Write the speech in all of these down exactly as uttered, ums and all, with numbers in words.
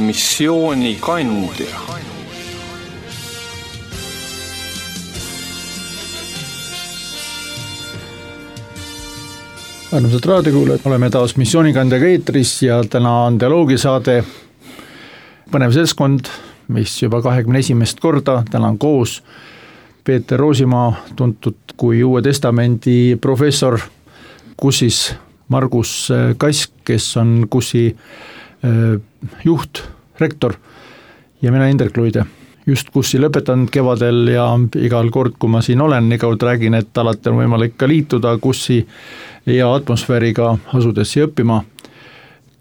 missioonikandja. Armsad raadiokuulajad, oleme taas missioonikandjaga eetris ja täna on dialoogisaade Põnev seltskond, mis juba kahekümne esimest korda, täna on koos Peeter Roosimaa, tuntud kui Uue Testamendi professor, Kussis Margus Kask, kes on Kussi juht, rektor, ja mina Indrek Luide. Just Kussi lõpetanud kevadel ja igal kord, kui ma siin olen, igalt räägin, et alati on võimalik ka liituda Kussi ja atmosfääriga asudes ja õppima.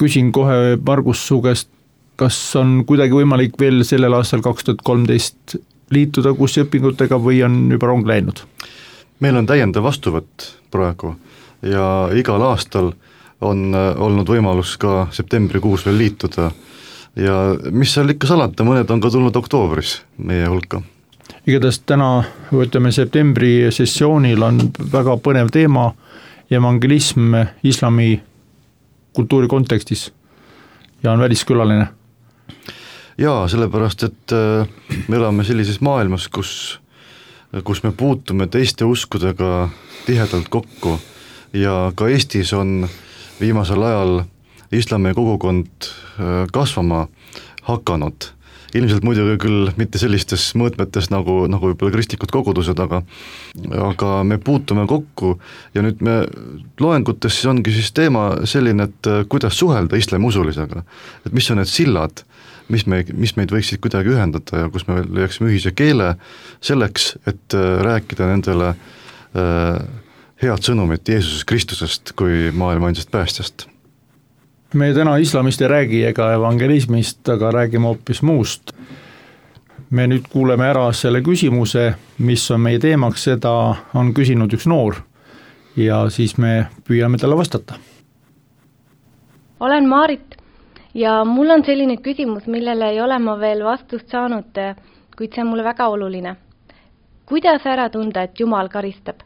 Küsin kohe Margus su käest, kas on kuidagi võimalik veel sellel aastal kaks tuhat kolmteist liituda Kussi õpingutega või on juba rong läinud? Meil on täiendav vastuvõtt praegu ja igal aastal on olnud võimalus ka septembrikuus veel liituda. Ja mis seal ikka salata, mõned on ka tulnud oktoobris meie hulka. Igatahes täna, võtame septembri sessioonil on väga põnev teema, evangelism islami kultuuri kontekstis ja on väliskülaline. Jaa, sellepärast, et me elame sellises maailmas, kus, kus me puutume teiste uskudega tihedalt kokku ja ka Eestis on viimasel ajal islami kogukond kasvama hakanud. Ilmselt muidugi küll mitte sellistes mõõtmetes nagu, nagu võib-olla kristlikud kogudused, aga, aga me puutume kokku ja nüüd me loengutes siis ongi siis teema selline, et kuidas suhelda islamiusulisega. Et mis on need sillad, mis, me, mis meid võiksid kuidagi ühendada ja kus me leiaksime ühise keele selleks, et rääkida nendele äh, head sõnumit Jeesusest Kristusest kui maailma ainsast päästjast. Me täna islamist ei räägi ega evangelismist, aga räägime hoopis muust. Me nüüd kuuleme ära selle küsimuse, mis on meie teemaks, seda on küsinud üks noor ja siis me püüame talle vastata. Olen Maarit ja mul on selline küsimus, millele ei ole ma veel vastust saanud, kuid see on mulle väga oluline. Kuidas ära tunda, et Jumal karistab?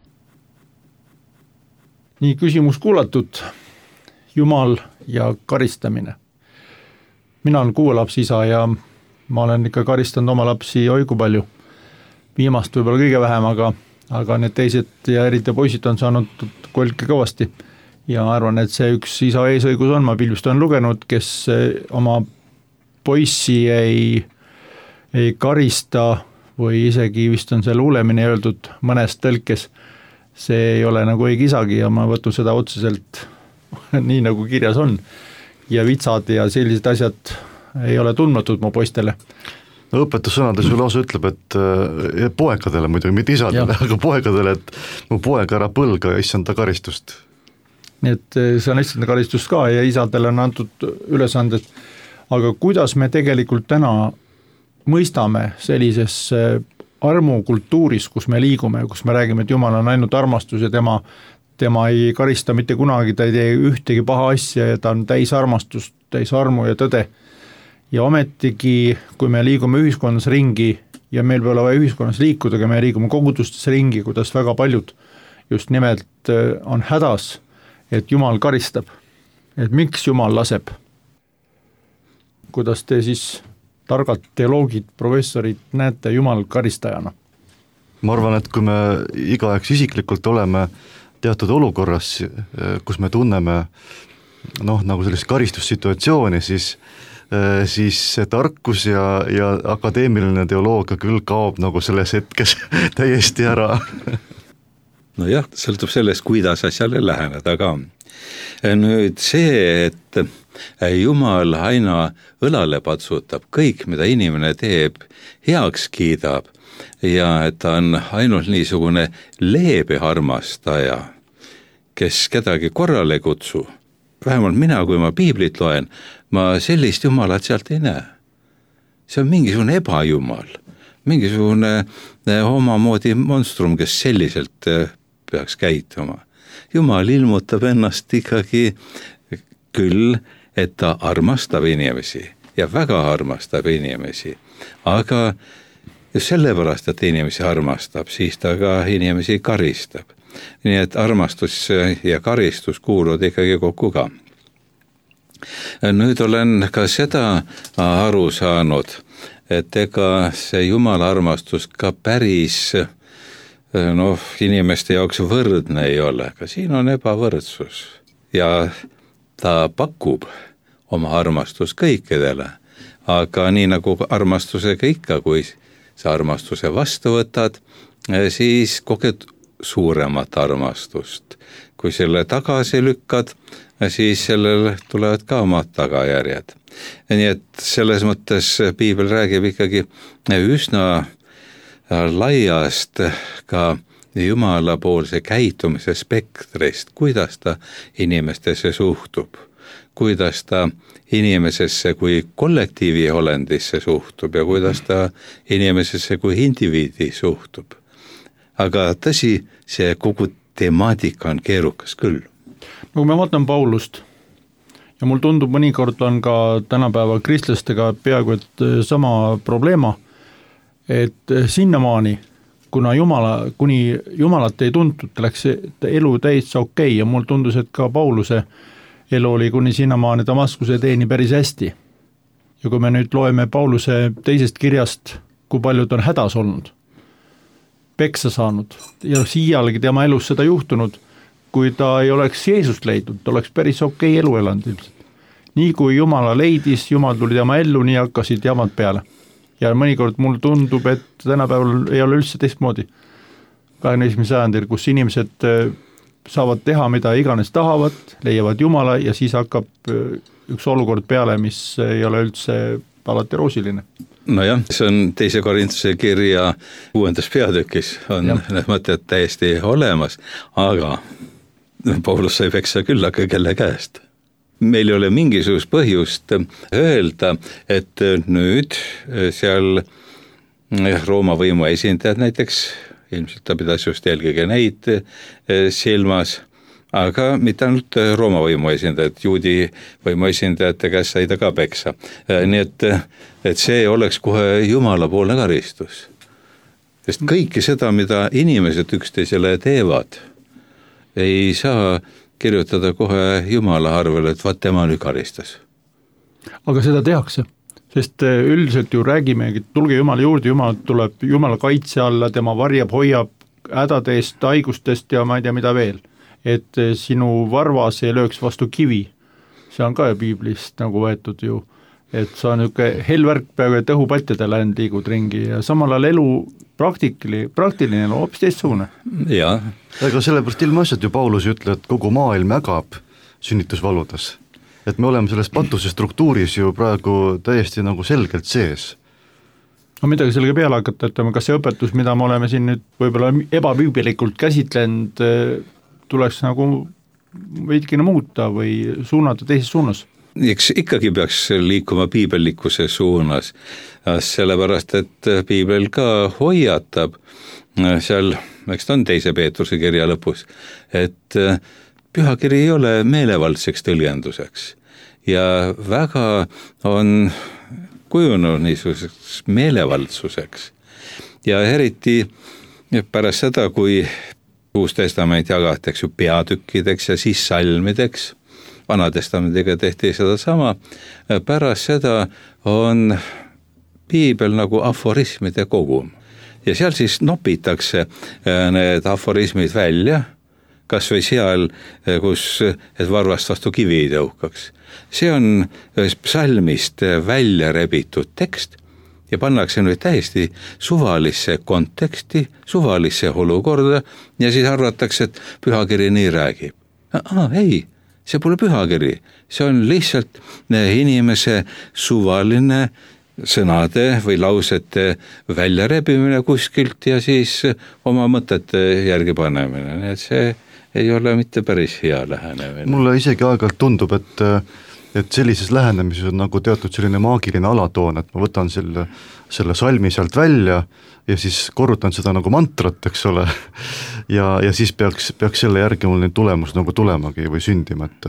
Nii küsimus kuulatud. Jumal ja karistamine. Mina olen kuue lapsi isa ja ma olen ikka karistanud oma lapsi oigu palju. Viimast võib-olla kõige vähem, aga, aga need teised ja eriti poisid on saanud kolke kõvasti. Ja arvan, et see üks isa eesõigus on, ma pilvist on lugenud, kes oma poissi ei, ei karista või isegi vist on see luulemine öeldud mõnes tõlkes. See ei ole nagu õige isagi ja ma võtun seda otseselt nii nagu kirjas on ja vitsad ja sellised asjad ei ole tundmatud mu poistele. No, õpetussõnades ju lausa ütleb, et äh, poekadele muidugi, mitte isadele, aga poekadele, et mu poeg ära põlga ja issanda karistust. Nii et see on issanda karistust ka ja isadele on antud ülesanded. Aga kuidas me tegelikult täna mõistame sellises armukultuuris, kus me liigume, kus me räägime, et Jumal on ainult armastus ja tema tema ei karista mitte kunagi, ta ei tee ühtegi paha asja ja ta on täis armastust, täis armu ja tõde. Ja ometigi, kui me liigume ühiskonnas ringi ja meil peab olema ühiskonnas liikuda, aga me liigume kogudustes ringi, kuidas väga paljud just nimelt on hädas, et Jumal karistab. Et miks Jumal laseb? Kuidas te siis targad teoloogid, professorid näete Jumal karistajana? Ma arvan, et kui me igaüks isiklikult oleme teatud olukorras, kus me tunneme noh, nagu sellist karistussituatsiooni, siis, siis see tarkus ja, ja akadeemiline teoloogia küll kaob nagu selles hetkes täiesti ära. No jah, sõltub sellest, kuidas asjale läheneda ka. Nüüd see, et Jumal aina õlale patsutab, kõik, mida inimene teeb, heaks kiidab ja et ta on ainult niisugune leebe armastaja, kes kedagi korrale kutsu. Vähemalt mina, kui ma piiblit loen, ma sellist Jumalat sealt ei näe. See on mingisugune ebajumal, mingisugune omamoodi monstrum, kes selliselt peaks käituma. Jumal ilmutab ennast ikkagi küll, et ta armastab inimesi ja väga armastab inimesi, aga just sellepärast, et inimesi armastab, siis ta ka inimesi karistab. Nii et armastus ja karistus kuuluvad ikkagi kokku ka. nüüd olen ka seda aru saanud, et ega see Jumala armastus ka päris noh, inimeste jaoks võrdne ei ole, ka siin on ebavõrdsus ja ta pakub oma armastus kõikidele, aga nii nagu armastusega ikka, kui sa armastuse vastu võtad, siis koged suuremat armastust. Kui selle tagasi lükkad, siis sellel tulevad ka omad tagajärjed. Nii et selles mõttes piibel räägib ikkagi üsna laiast ka jumalapoolse käitumise spektrist, kuidas ta inimestesse suhtub, kuidas ta inimesesse kui kollektiivi olendisse suhtub ja kuidas ta inimesesse kui indiviidi suhtub. Aga tõsi, see kogu temaatika on keerukas küll. No kui me vaatame Paulust ja mul tundub mõnikord on ka tänapäeva kristlastega peaaegu et sama probleema, et sinnamaani, kuna Jumala, kuni Jumalat ei tuntud, läks elu täitsa okei ja mul tundus, et ka Pauluse elu oli kuni sinnamaani Damaskuse teeni päris hästi. Ja kui me nüüd loeme Pauluse teisest kirjast, kui paljud on hädas olnud, peksa saanud ja siialgi tema elus seda juhtunud, kui ta ei oleks Jeesust leidnud, ta oleks päris okei elu elanud ilmselt. Nii kui Jumala leidis, Jumal tuli tema ellu, nii hakkasid jamad peale. Ja mõnikord mul tundub, et tänapäeval ei ole üldse teistmoodi. kahekümne esimesel sajandil, kus inimesed saavad teha, mida iganes tahavad, leiavad Jumala ja siis hakkab üks olukord peale, mis ei ole üldse alati roosiline. Nojah, see on teise Korintuse kirja kuuendas peatükis on need mõtted täiesti olemas, aga Paulus sai peksa küll, aga kelle käest. Meil ei ole mingisugust põhjust öelda, et nüüd seal Rooma võimu esindajad näiteks, ilmselt ta pidas just eelkõige neid silmas, aga mitte ainult Rooma võimu esindajad, juudi võimu esindajate käest sai ta ka peksa. Nii et, et see oleks kohe Jumala poolne karistus. Sest kõike seda, mida inimesed üksteisele teevad, ei saa kirjutada kohe Jumala arvele, et vaat tema nüüd karistas. Aga seda tehakse, sest üldiselt ju räägime, et tulge Jumala juurde, Jumal tuleb Jumala kaitse alla, tema varjab, hoiab hädadest, haigustest ja ma ei tea mida veel. Et sinu varvas ei lööks vastu kivi. See on ka piiblist nagu võetud ju, et sa on niisugune helvärk peaaegu, et õhupatjade läinud liigud ringi ja samal ajal elu praktikli, praktiline elu hoopis teistsugune. Jaa. Aga sellepärast ilmaasjad ju Paulus ütleb, et kogu maailm ägab sünnitusvaludes. Et me oleme selles patuse struktuuris ju praegu täiesti nagu selgelt sees. No midagi sellega peale hakata, et kas see õpetus, mida me oleme siin nüüd võib-olla ebapüübilikult käsitlenud, tuleks nagu veidikene muuta või suunata teises suunas? Eks ikkagi peaks liikuma piibellikkuse suunas, sellepärast, et piibel ka hoiatab seal, eks ta on teise Peetruse kirja lõpus, et pühakiri ei ole meelevaldseks tõlgenduseks ja väga on kujunud niisuguseks meelevaldsuseks ja eriti pärast seda, kui Uus testament jagatakse ju peatükkideks ja siis salmideks, Vana testamendiga tehti seda sama, pärast seda on piibel nagu aforismide kogum ja seal siis nopitakse need aforismid välja, kas või seal, kus et varvast vastu kivi ei tõukaks. See on psalmist välja rebitud tekst ja pannakse nüüd täiesti suvalisse konteksti, suvalisse olukorda ja siis arvatakse, et pühakiri nii räägib. Ah, ei, see pole pühakiri, see on lihtsalt inimese suvaline sõnade või lausete väljarebimine kuskilt ja siis oma mõtete järgi panemine, nii et see ei ole mitte päris hea lähenemine. Mulle isegi aeg-ajalt tundub, et et sellises lähenemises on nagu teatud selline maagiline alatoon, et ma võtan selle, selle salmi sealt välja ja siis korrutan seda nagu mantrat, eks ole, ja, ja siis peaks, peaks selle järgi mul neid tulemus nagu tulemagi või sündima, et,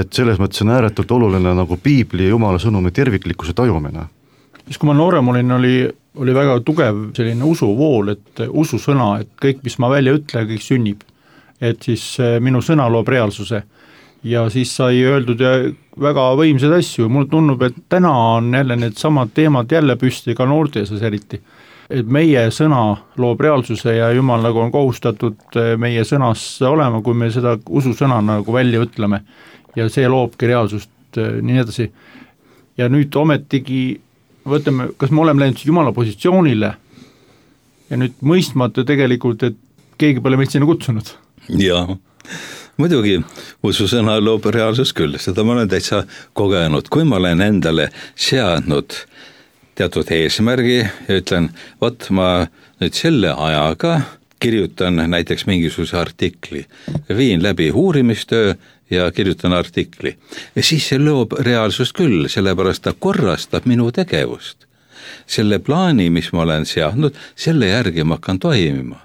et selles mõttes on ääretult oluline nagu piibli ja Jumala sõnumi terviklikkuse tajumine. Siis kui ma noorem olin, oli, oli väga tugev selline usuvool, et ususõna, et kõik, mis ma välja ütlen, kõik sünnib, et siis minu sõna loob reaalsuse. ja siis sai öeldud ja väga võimsad asju, mulle tundub, et täna on jälle need samad teemad jälle püsti, ka noorte seas eriti. Et meie sõna loob reaalsuse ja Jumal nagu on kohustatud meie sõnas olema, kui me seda ususõna nagu välja ütleme ja see loobki reaalsust, nii edasi. Ja nüüd ometigi võtame, kas me oleme läinud Jumala positsioonile ja nüüd mõistmata tegelikult, et keegi pole meid sinna kutsunud. Jaa, muidugi ususõna loob reaalsus küll, seda ma olen täitsa kogenud, kui ma olen endale seadnud teatud eesmärgi ja ütlen, vot ma nüüd selle ajaga kirjutan näiteks mingisuguse artikli, viin läbi uurimistöö ja kirjutan artikli. Ja siis see loob reaalsust küll, sellepärast ta korrastab minu tegevust. Selle plaani, mis ma olen seadnud, selle järgi ma hakkan toimima.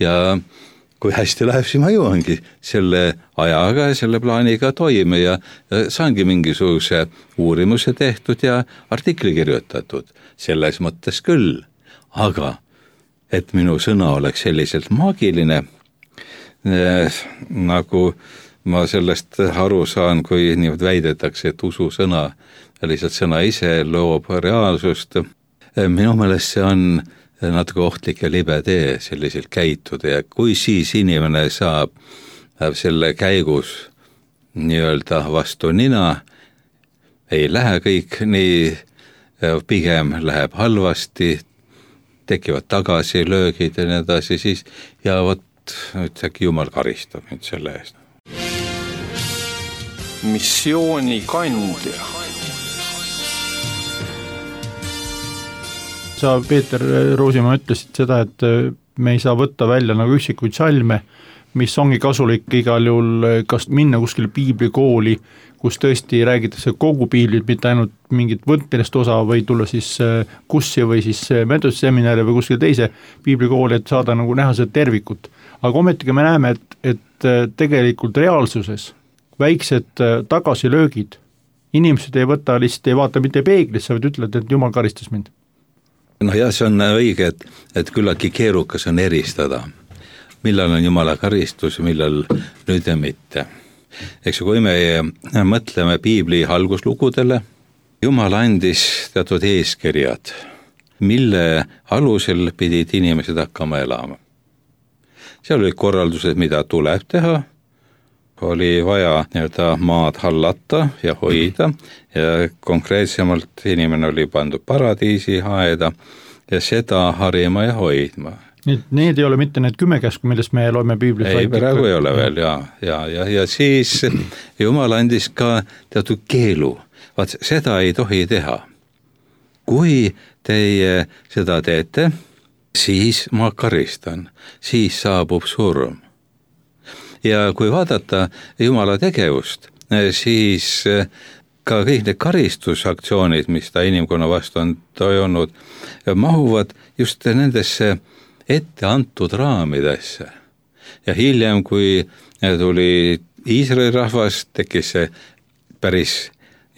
Ja kui hästi läheb, siis ma jõuangi selle ajaga ja selle plaaniga toime ja saangi mingisuguse uurimuse tehtud ja artikli kirjutatud. Selles mõttes küll, aga et minu sõna oleks selliselt maagiline, eh, nagu ma sellest aru saan, kui niimoodi väidetakse, et usu sõna, lihtsalt sõna ise loob reaalsust. Minu meelest see on natuke ohtlik ja libe tee selliselt käituda ja kui siis inimene saab selle käigus nii-öelda vastu nina, ei lähe kõik nii, pigem läheb halvasti, tekivad tagasilöögid ja nii edasi, siis ja vot ütlegi Jumal karistab nüüd selle eest. Missiooni kandja. Sa, Peeter Roosimaa, ütlesid seda, et me ei saa võtta välja nagu üksikuid salme, mis ongi kasulik igal juhul, kas minna kuskile piiblikooli, kus tõesti räägitakse kogu piiblit, mitte ainult mingit võtmilest osa või tulla siis kussi või siis mentoseminari või kuskile teise piiblikooli, et saada nagu näha seda tervikut. Aga ometigi me näeme, et, et tegelikult reaalsuses väiksed tagasilöögid, inimesed ei võta, lihtsalt ei vaata mitte peeglisse, vaid ütlevad, et Jumal karistas mind. No jah, see on õige, et, et küllaki keerukas on eristada, millal on Jumala karistus, millal nüüd ja mitte. Eks kui me mõtleme piibli alguslugudele, Jumal andis teatud eeskirjad, mille alusel pidid inimesed hakkama elama. Seal olid korraldused, mida tuleb teha, oli vaja nii-öelda maad hallata ja hoida ja konkreetsemalt inimene oli pandud paradiisi haeda ja seda harima ja hoidma. Need, need ei ole mitte need kümme käsku, millest me loeme piiblis. Ei, praegu ei ole veel, ja, ja, ja, ja siis Jumal andis ka teatud keelu, vaat seda ei tohi teha. Kui teie seda teete, siis ma karistan, siis saabub surm. Ja kui vaadata Jumala tegevust, siis ka kõik need karistusaktsioonid, mis ta inimkonna vastu on toimunud, mahuvad just nendesse ette antud raamidesse. Ja hiljem, kui tuli Iisraeli rahvas, tekkis see päris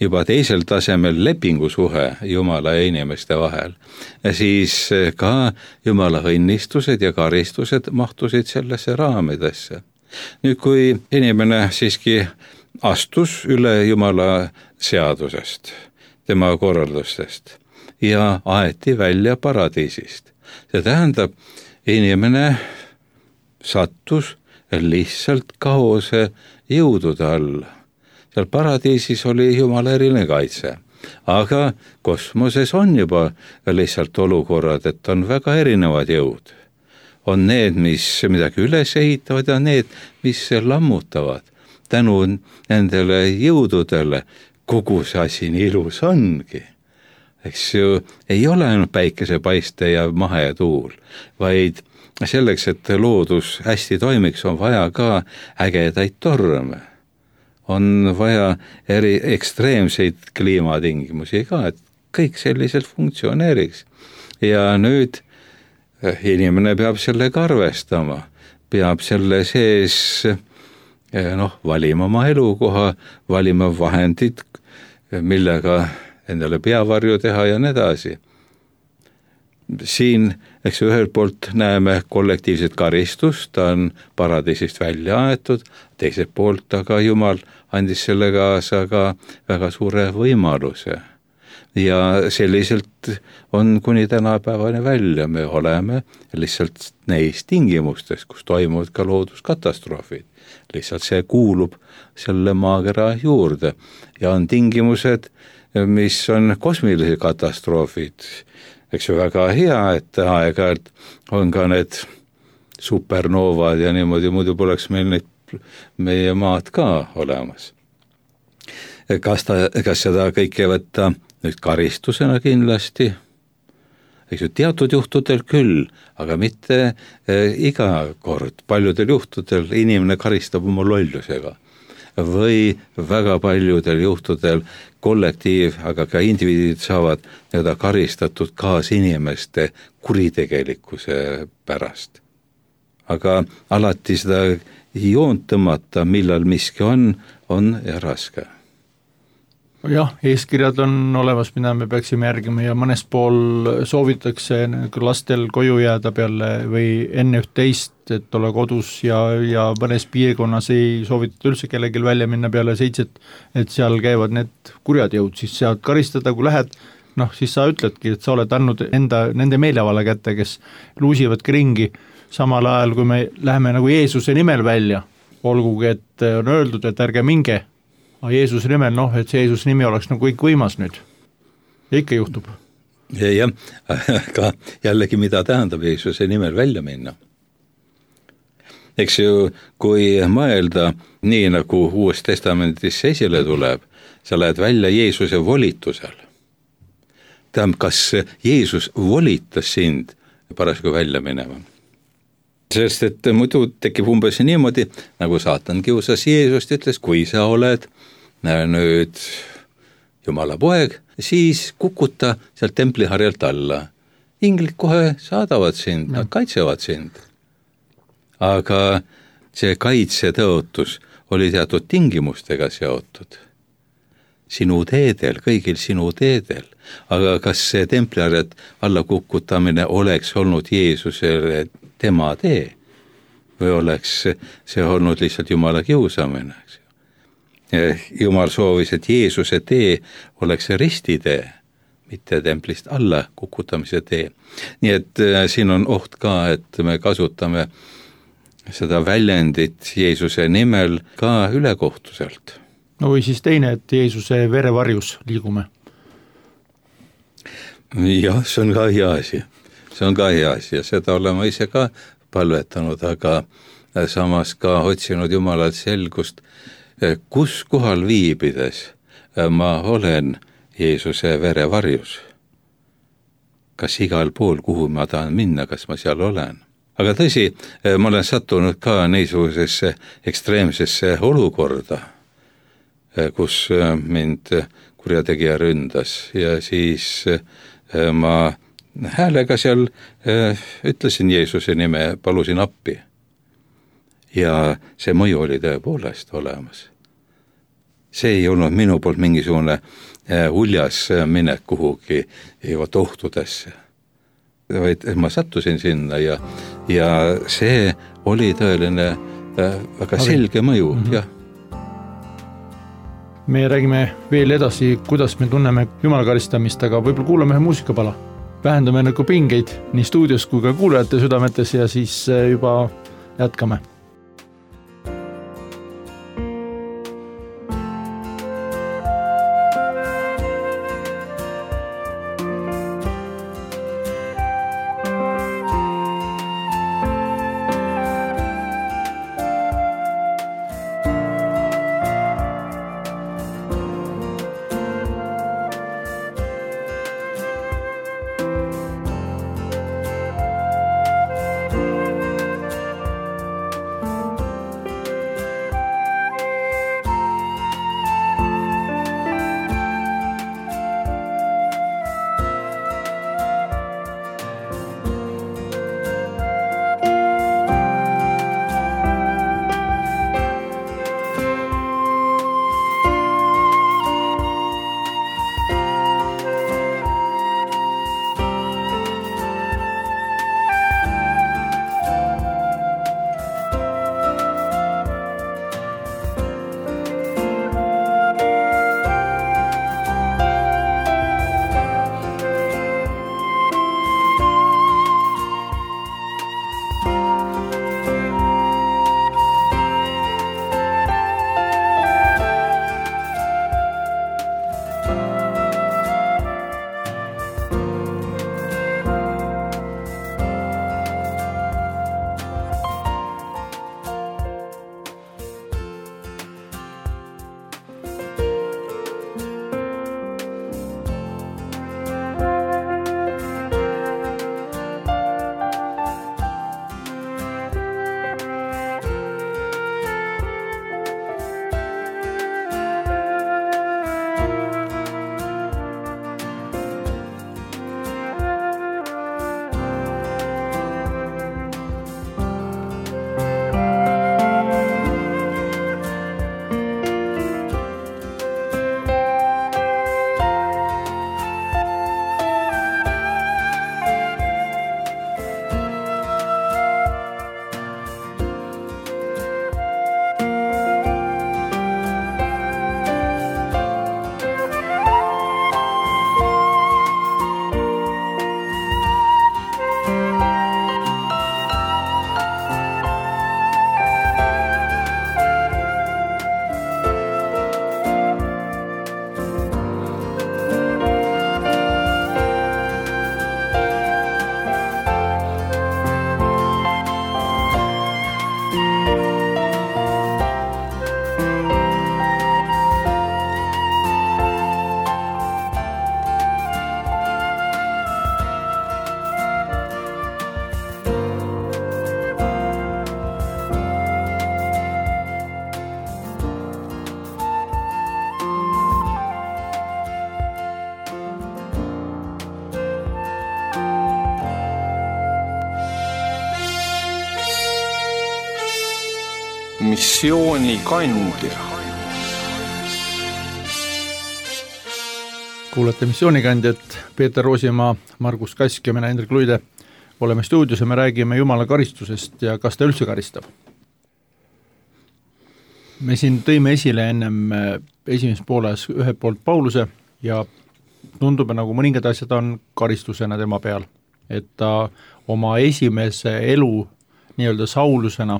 juba teisel tasemel lepingusuhe Jumala ja inimeste vahel. Ja siis ka Jumala õnnistused ja karistused mahtusid sellesse raamidesse. Nüüd, kui inimene siiski astus üle Jumala seadusest, tema korraldustest ja aeti välja paradiisist, see tähendab, inimene sattus lihtsalt kaose jõudude alla. Seal paradiisis oli Jumala eriline kaitse, aga kosmoses on juba lihtsalt olukorrad, et on väga erinevad jõud. On need, mis midagi üles ehitavad ja need, mis lammutavad. Tänu nendele jõududele kogu see asi nii ilus ongi. Eks ju, ei ole ainult päikesepaiste ja mahe ja tuul, vaid selleks, et loodus hästi toimiks, on vaja ka ägedaid torme. On vaja eri ekstreemseid kliimatingimusi ka, et kõik selliselt funktsioneeriks. Ja nüüd inimene peab sellega arvestama, peab selle sees noh, valima oma elukoha, valima vahendid, millega endale peavarju teha ja nii edasi. siin, eks ühelt poolt näeme kollektiivset karistust, ta on paradiisist välja aetud, teiselt poolt aga Jumal andis selle kaasa ka väga suure võimaluse. Ja selliselt on kuni tänapäevani välja, me oleme lihtsalt neis tingimustes, kus toimuvad ka looduskatastroofid. Lihtsalt see kuulub selle maakera juurde ja on tingimused, mis on kosmilised katastroofid. Eks ju väga hea, et aeg-ajalt on ka need supernoovad ja niimoodi, muidu poleks meil neid, meie maad ka olemas. Kas, ta, kas seda kõike võtta nüüd karistusena kindlasti? Eks ju teatud juhtudel küll, aga mitte eh, iga kord. Paljudel juhtudel inimene karistab oma lollusega või väga paljudel juhtudel kollektiiv, aga ka indiviidid saavad nii-öelda karistatud kaasinimeste kuritegelikkuse pärast. Aga alati seda joont tõmmata, millal miski on, on ja raske. Jah, eeskirjad on olemas, mida me peaksime järgima ja mõnes pool soovitakse lastel koju jääda peale või enne üht teist, et ole kodus ja, ja mõnes piirkonnas ei soovitata üldse kellelgi välja minna peale seitset, et seal käivad need kurjad jõud, siis saad karistada, kui lähed, noh siis sa ütledki, et sa oled andnud enda, nende meelevala kätte, kes luusivadki ringi, samal ajal kui me läheme nagu Jeesuse nimel välja, olgugi, et on öeldud, et ärge minge, aga Jeesuse nimel, noh, et see Jeesuse nimi oleks nagu kõik võimas nüüd. Ja ikka juhtub. Ja, jah, aga jällegi mida tähendab Jeesuse nimel välja minna. Eks ju, kui mõelda nii nagu Uues Testamendis esile tuleb, sa lähed välja Jeesuse volitusel. Tähendab, kas Jeesus volitas sind parasjagu välja minema? Sest et muidu tekib umbes niimoodi, nagu saatan kiusas Jeesust, ütles, kui sa oled nüüd Jumala poeg, siis kukuta sealt templiharjalt alla. Inglid kohe saadavad sind, nad kaitsevad sind. Aga see kaitsetõotus oli teatud tingimustega seotud. Sinu teedel, kõigil sinu teedel. Aga kas see templiharjalt alla kukutamine oleks olnud Jeesusele tema tee või oleks see olnud lihtsalt Jumala kiusamine? Jumal soovis, et Jeesuse tee oleks ristitee, mitte templist alla kukutamise tee. Nii et siin on oht ka, et me kasutame seda väljendit Jeesuse nimel ka ülekohtuselt. No või siis teine, et Jeesuse verevarjus liigume. Jah, see on ka hea asi. See on ka hea asi ja seda oleme ise ka palvetanud, aga samas ka otsinud Jumalalt selgust, kus kohal viibides ma olen Jeesuse verevarjus. Kas igal pool, kuhu ma tahan minna, kas ma seal olen? Aga tõsi, ma olen sattunud ka niisugusesse ekstreemsesse olukorda, kus mind kurjategija ründas ja siis ma häälega seal ütlesin Jeesuse nime, palusin appi. Ja see mõju oli tõepoolest olemas. See ei olnud minu poolt mingisugune uljas minek kuhugi ohtudesse, vaid ma sattusin sinna ja, ja see oli tõeline väga selge mõju, mm-hmm. jah. Me räägime veel edasi, kuidas me tunneme Jumala karistamist, aga võib-olla kuulame ühe muusikapala. Vähendame nagu pingeid nii stuudios kui ka kuulajate südametes ja siis juba jätkame. missioonikandja. Kuulete missioonikandjat, Peeter Roosimaa, Margus Kask ja mina Hendrik Luide. Oleme stuudios ja me räägime Jumala karistusest ja kas ta üldse karistab. Me siin tõime esile ennem esimeses pooles ühe poolt Pauluse ja tundub, nagu mõningad asjad on karistusena tema peal. Et ta oma esimese elu nii-öelda Saulusena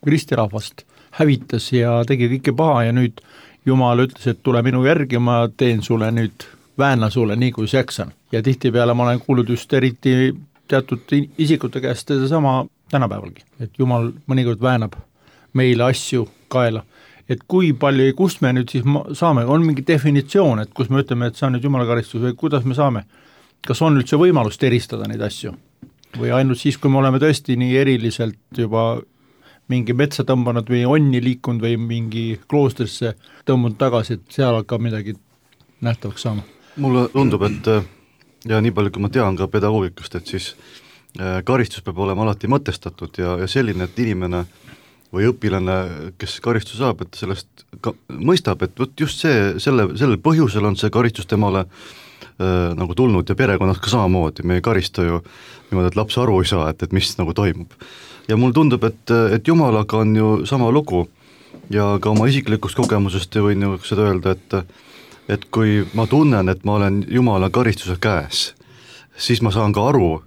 kristirahvast hävitas ja tegi kõike paha ja nüüd Jumal ütles, et tule minu järgi, ma teen sulle nüüd, väänla sulle nii kui seksan. Ja tihtipeale ma olen kuulnud just eriti teatud isikute käest sama tänapäevalgi, et Jumal mõnikord väänab meile asju kaela. Et kui palju, kust me nüüd siis saame, on mingi definitsioon, et kus me ütleme, et see on nüüd Jumala karistus või kuidas me saame? Kas on üldse võimalust eristada neid asju? Või ainult siis, kui me oleme tõesti nii eriliselt juba mingi metsa tõmbanud või onni liikunud või mingi kloostrisse tõmbunud tagasi, et seal hakkab midagi nähtavaks saama? Mulle tundub, et ja nii palju, kui ma tean ka pedagoogikast, et siis karistus peab olema alati mõtestatud ja, ja selline, et inimene või õpilane, kes karistus saab, et sellest ka mõistab, et võt just see, selle, sellel põhjusel on see karistus temale äh, nagu tulnud ja perekonnas ka samamoodi, me ei karista ju niimoodi, et laps aru ei saa, et, et mis nagu toimub. Ja mul tundub, et, et Jumalaga on ju sama lugu ja ka oma isiklikust kogemusest võin ju seda öelda, et et kui ma tunnen, et ma olen Jumala karistuse käes, siis ma saan ka aru,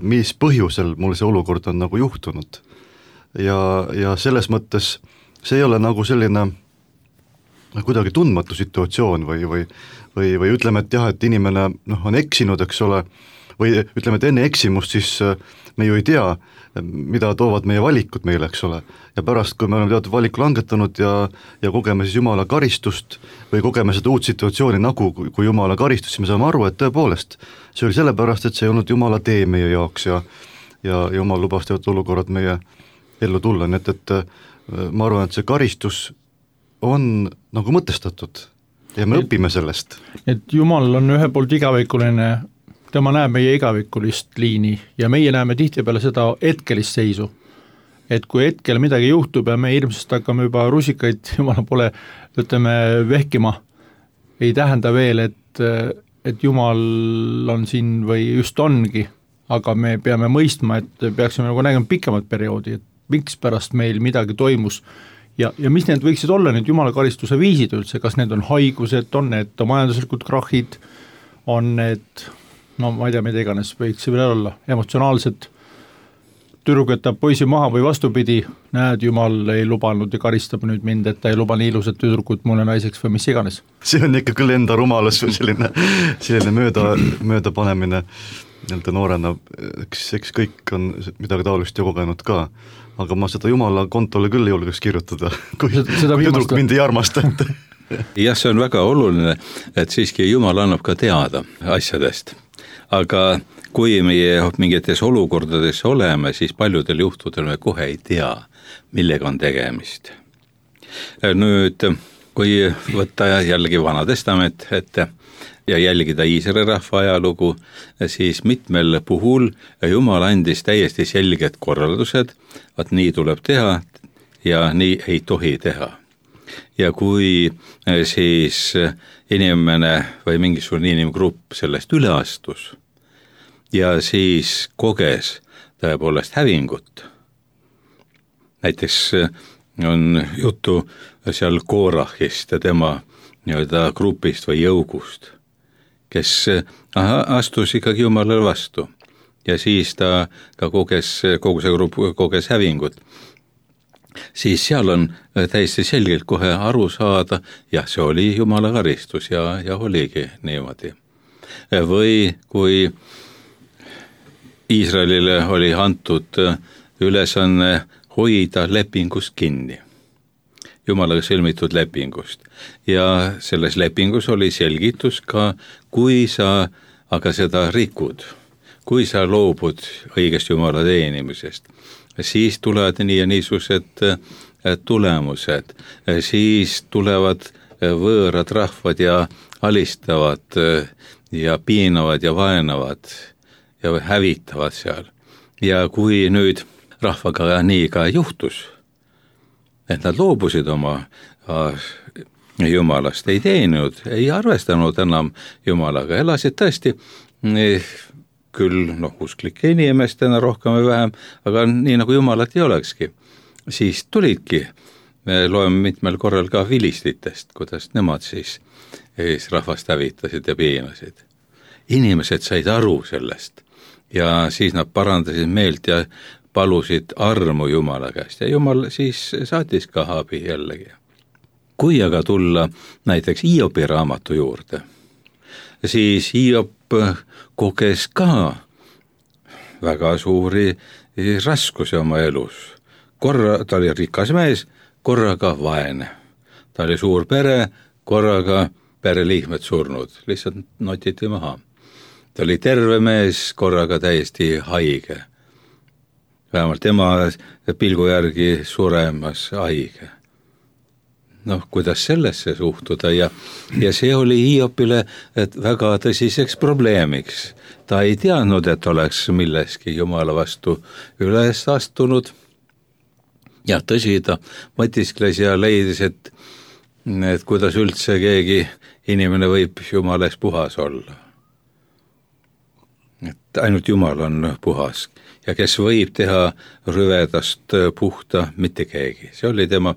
mis põhjusel mul see olukord on nagu juhtunud. Ja, ja selles mõttes see ei ole nagu selline kuidagi tundmatu situatsioon või, või, või, või ütleme, et jah, et inimene noh, on eksinud, eks ole, või ütleme, et enne eksimust siis me ju ei tea, mida toovad meie valikud meile, eks ole. Ja pärast, kui me oleme teatud valiku langetanud ja, ja kogeme siis Jumala karistust või kogeme seda uut situatsiooni nagu kui Jumala karistus, siis me saame aru, et tõepoolest see oli sellepärast, et see ei olnud Jumala tee meie jaoks ja, ja Jumal lubas teatud olukorrad meie ellu tulla, nii et, et ma arvan, et see karistus on nagu mõtestatud ja me et, õpime sellest. Et Jumal on ühe poolt igavikuline, tema näeb meie igavikulist liini ja meie näeme tihtipeale seda hetkelist seisu. Et kui hetkel midagi juhtub ja me hirmsast hakkame juba rusikaid, Jumala pole, ütleme, vehkima, ei tähenda veel, et, et Jumal on siin või just ongi, aga me peame mõistma, et peaksime nagu nägema pikemat perioodi, et miks pärast meil midagi toimus ja, ja mis need võiksid olla need Jumala karistuse viisid üldse, kas need on haigused, on need majanduslikud krahhid, on need, no ma ei tea, mida iganes võiks see veel olla, emotsionaalsed, tüdruk jätab poisi maha või vastupidi, näed, Jumal ei lubanud ja karistab nüüd mind, et ta ei luba nii ilusat tüdrukut mulle naiseks või mis iganes. See on ikka küll enda rumalus või selline, selline mööda, mööda panemine nii-öelda noorena, eks, eks kõik on midagi taolist ju kogenud ka, aga ma seda Jumala kontole küll ei julgeks kirjutada, kui, kui tüdruk mind ei armasta. jah, see on väga oluline, et siiski Jumal annab ka teada asjadest, aga kui meie mingites olukordades oleme, siis paljudel juhtudel me kohe ei tea, millega on tegemist. Nüüd, kui võtta jällegi Vana Testament ette ja jälgida Iisraeli rahva ajalugu, siis mitmel puhul Jumal andis täiesti selged korraldused, et nii tuleb teha ja nii ei tohi teha. Ja kui siis inimene või mingisugune inimgrupp sellest üle astus ja siis koges tõepoolest hävingut, näiteks on juttu seal Koorahist ja tema nii-öelda grupist või jõugust, kes astus ikkagi Jumalale vastu ja siis ta ka koges, kogu see grupp koges hävingut, siis seal on täiesti selgelt kohe aru saada, jah, see oli Jumala karistus ja, ja oligi niimoodi. Või kui Iisraelile oli antud ülesanne hoida lepingust kinni, Jumalaga sõlmitud lepingust. Ja selles lepingus oli selgitus ka, kui sa aga seda rikud, kui sa loobud õigest Jumala teenimisest, siis tulevad nii ja niisugused tulemused, siis tulevad võõrad rahvad ja alistavad ja piinavad ja vaenavad ja hävitavad seal. Ja kui nüüd rahvaga nii ka juhtus, et nad loobusid oma jumalast, ei teeninud, ei arvestanud enam jumalaga, elasid tõesti küll noh, usklike inimestena rohkem või vähem, aga nii nagu jumalat ei olekski. Siis tulidki, me loeme mitmel korral ka vilistitest, kuidas nemad siis, siis rahvast hävitasid ja piinasid. Inimesed said aru sellest ja siis nad parandasid meelt ja palusid armu Jumala käest ja Jumal siis saatis ka abi jällegi. Kui aga tulla näiteks Hiobi raamatu juurde, siis Hiob koges ka väga suuri raskusi oma elus. Korra ta oli rikas mees, korraga vaene. Ta oli suur pere, korraga pereliikmed surnud, lihtsalt notiti maha. Ta oli terve mees, korraga täiesti haige. Vähemalt tema pilgu järgi suremas haige. Noh, kuidas sellesse suhtuda ja, ja see oli Hiopile et väga tõsiseks probleemiks. Ta ei teadnud, et oleks milleski Jumala vastu üles astunud. Ja tõsi, ta mõtiskles ja leidis, et, et kuidas üldse keegi inimene võib Jumales puhas olla. Et ainult Jumal on puhas ja kes võib teha rüvedast puhta, mitte keegi. See oli tema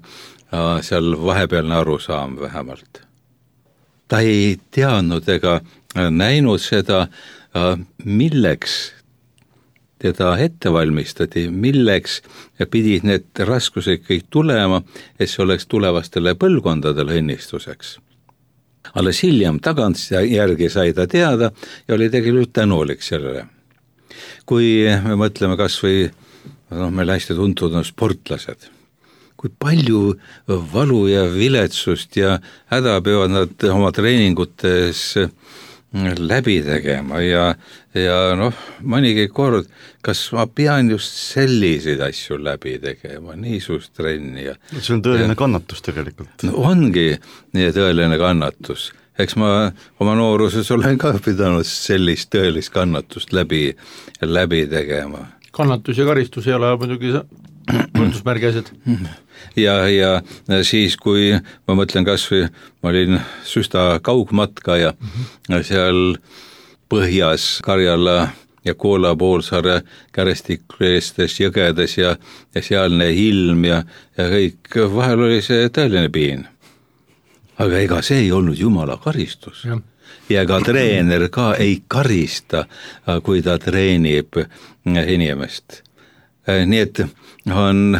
seal vahepealne arusaam vähemalt. Ta ei teadnud ega näinud seda, milleks teda ette valmistati, milleks pidid need raskused kõik tulema, et see oleks tulevastele põlvkondadele õnnistuseks. Alles hiljem tagant järgi sai ta teada ja oli tegelikult tänulik sellele. Kui me mõtleme kas või, no, meil hästi tuntud on sportlased, kui palju valu ja viletsust ja häda peavad nad oma treeningutes läbi tegema ja, ja noh, mõnigi kord, kas ma pean just selliseid asju läbi tegema, niisugust trenni. Ja, see on tõeline ja, kannatus tegelikult. No, ongi nii tõeline kannatus. Eks ma oma nooruses olen ka pidanud sellist tõelist kannatust läbi, läbi tegema. Kannatus ja karistus ei ole muidugi võrdusmärgi asjad. Ja, ja siis, kui ma mõtlen kas või, ma olin süsta kaugmatka ja mm-hmm. seal põhjas Karjala ja Koola poolsaare kärestikleestes jõgedes ja, ja sealne ilm ja, ja kõik, vahel oli see tõeline piin. Aga ega see ei olnud Jumala karistus. Ja, ja ka treener ka ei karista, kui ta treenib inimest. Nii et on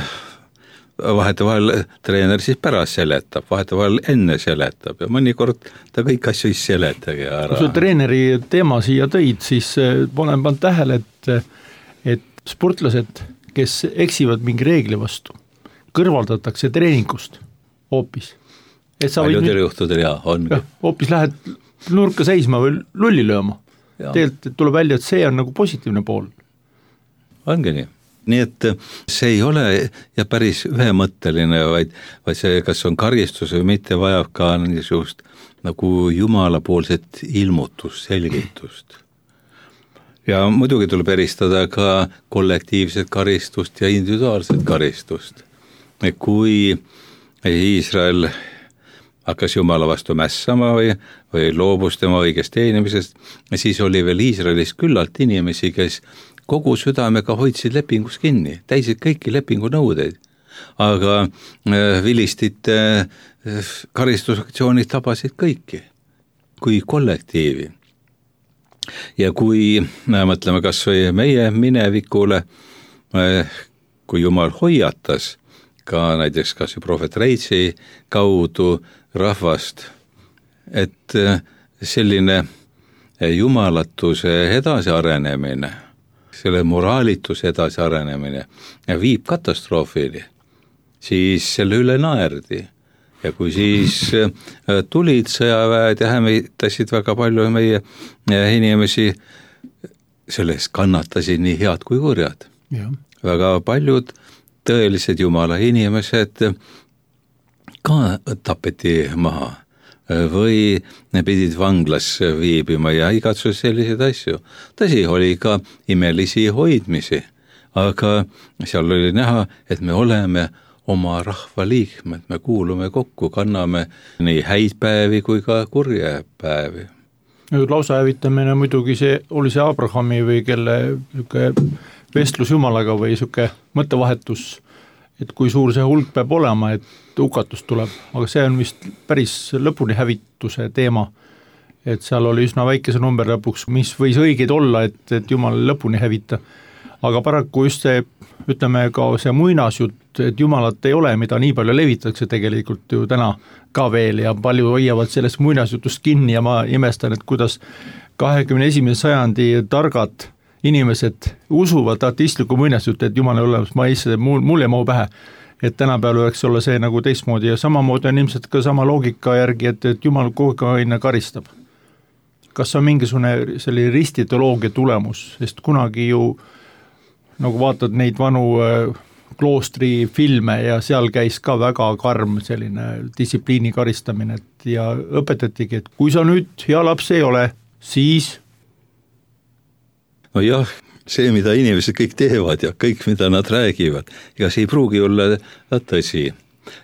vahetevahel treener siis pärast seletab, vahetevahel enne seletab ja mõnikord ta kõik asju ei seletagi ära. Kui sa treeneri teema siia tõid, siis olen pannud tähele, et, et sportlased, kes eksivad mingi reegli vastu, kõrvaldatakse treeningust hoopis. Paljudel juhtudel jah, ongi. Ja, hoopis lähed nurka seisma või lulli lööma. Tegelikult tuleb välja, et see on nagu positiivne pool. Ongi nii. Nii et see ei ole ja päris ühemõtteline, vaid, vaid see, kas on karistus või mitte, vajab ka niisugust nagu jumalapoolset ilmutust, selgitust. Ja muidugi tuleb eristada ka kollektiivset karistust ja individuaalset karistust. Kui Iisrael hakkas Jumala vastu mässama või, või loobus tema õigest teenimisest, siis oli veel Iisraelis küllalt inimesi, kes kogu südamega hoidsid lepingus kinni, täisid kõiki lepingu nõudeid, aga vilistite karistusaktsioonid tabasid kõiki kui kollektiivi. Ja kui mõtleme kas või meie minevikule, kui Jumal hoiatas ka näiteks kas või prohvet Reitsi kaudu rahvast, et selline jumalatuse edasi arenemine, selle moraalituse edasi arenemine viib katastroofili, siis selle üle naerdi. Ja kui siis tulid sõjaväed ja hämitasid väga palju meie inimesi, sellest kannatasid nii head kui kurjad. Ja. Väga paljud tõelised Jumala inimesed ka tapeti maha või pidid vanglas viibima ja igatsus selliseid asju. Tõsi, oli ka imelisi hoidmisi, aga seal oli näha, et me oleme oma rahva liikmed, me kuulume kokku, kanname nii häid päevi kui ka kurje päevi. Lausa hävitamine muidugi see oli see Abrahami või kelle vestlus Jumalaga või siuke mõttevahetus, et kui suur see hulk peab olema, et hukatus tuleb, aga see on vist päris lõpuni hävituse teema, et seal oli üsna väikese number lõpuks, mis võis õigeid olla, et, et Jumal lõpuni hävita. Aga paraku just see, ütleme ka see muinasjutt, et Jumalat ei ole, mida nii palju levitakse tegelikult ju täna ka veel ja palju hoiavad sellest muinasjutust kinni ja ma imestan, et kuidas kahekümne esimese sajandi targad inimesed usuvad ateistliku muinasjuttu, et Jumal ei ole, ma ei ise, mul, mul ei mahu pähe, et tänapäeval võiks olla see nagu teistmoodi ja samamoodi on ilmselt ka sama loogika järgi, et, et Jumal kogu aeg karistab. Kas on mingisugune selline ristiteoloogia tulemus, sest kunagi ju nagu vaatad neid vanu kloostri filme ja seal käis ka väga karm selline distsipliini karistamine et ja õpetatigi, et kui sa nüüd hea laps ei ole, siis no jah, see, mida inimesed kõik teevad ja kõik, mida nad räägivad, ega see ei pruugi olla tõsi.